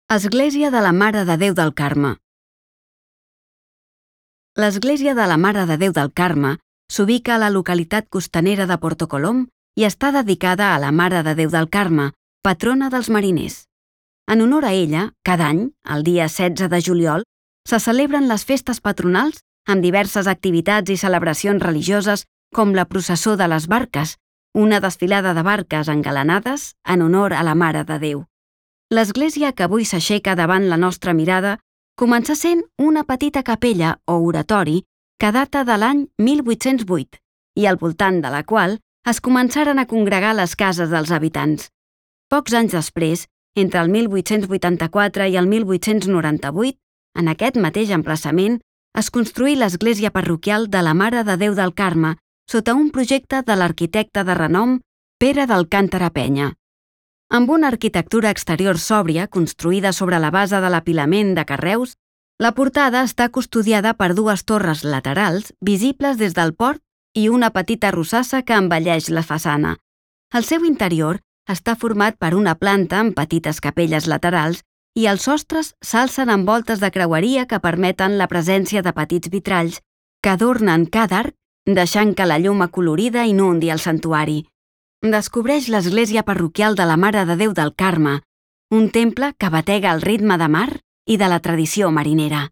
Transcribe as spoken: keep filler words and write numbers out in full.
Església de la Mare de Déu del Carme. L'església de la Mare de Déu del Carme s'ubica a la localitat costanera de Porto Colom i està dedicada a la Mare de Déu del Carme, patrona dels mariners. En honor a ella, cada any, el dia setze de juliol, se celebren les festes patronals amb diverses activitats i celebracions religioses com la processó de les barques, una desfilada de barques engalanades en honor a la Mare de Déu. L'església que avui s'aixeca davant la nostra mirada començà sent una petita capella o oratori que data de l'any mil vuit-cents vuit i al voltant de la qual es començaren a congregar les cases dels habitants. Pocs anys després, entre el mil vuit-cents vuitanta-quatre i el mil vuit-cents noranta-vuit, en aquest mateix emplaçament, es construí l'església parroquial de la Mare de Déu del Carme sota un projecte de l'arquitecte de renom Pere d'Alcántara Penya. Amb una arquitectura exterior sòbria construïda sobre la base de l'apilament de carreus, la portada està custodiada per dues torres laterals visibles des del port i una petita rosassa que embelleix la façana. El seu interior està format per una planta amb petites capelles laterals i els sostres s'alcen amb voltes de creueria que permeten la presència de petits vitralls que adornen cada arc, deixant que la llum acolorida inundi el santuari. Descobreix l'església parroquial de la Mare de Déu del Carme, un temple que batega el ritme de mar i de la tradició marinera.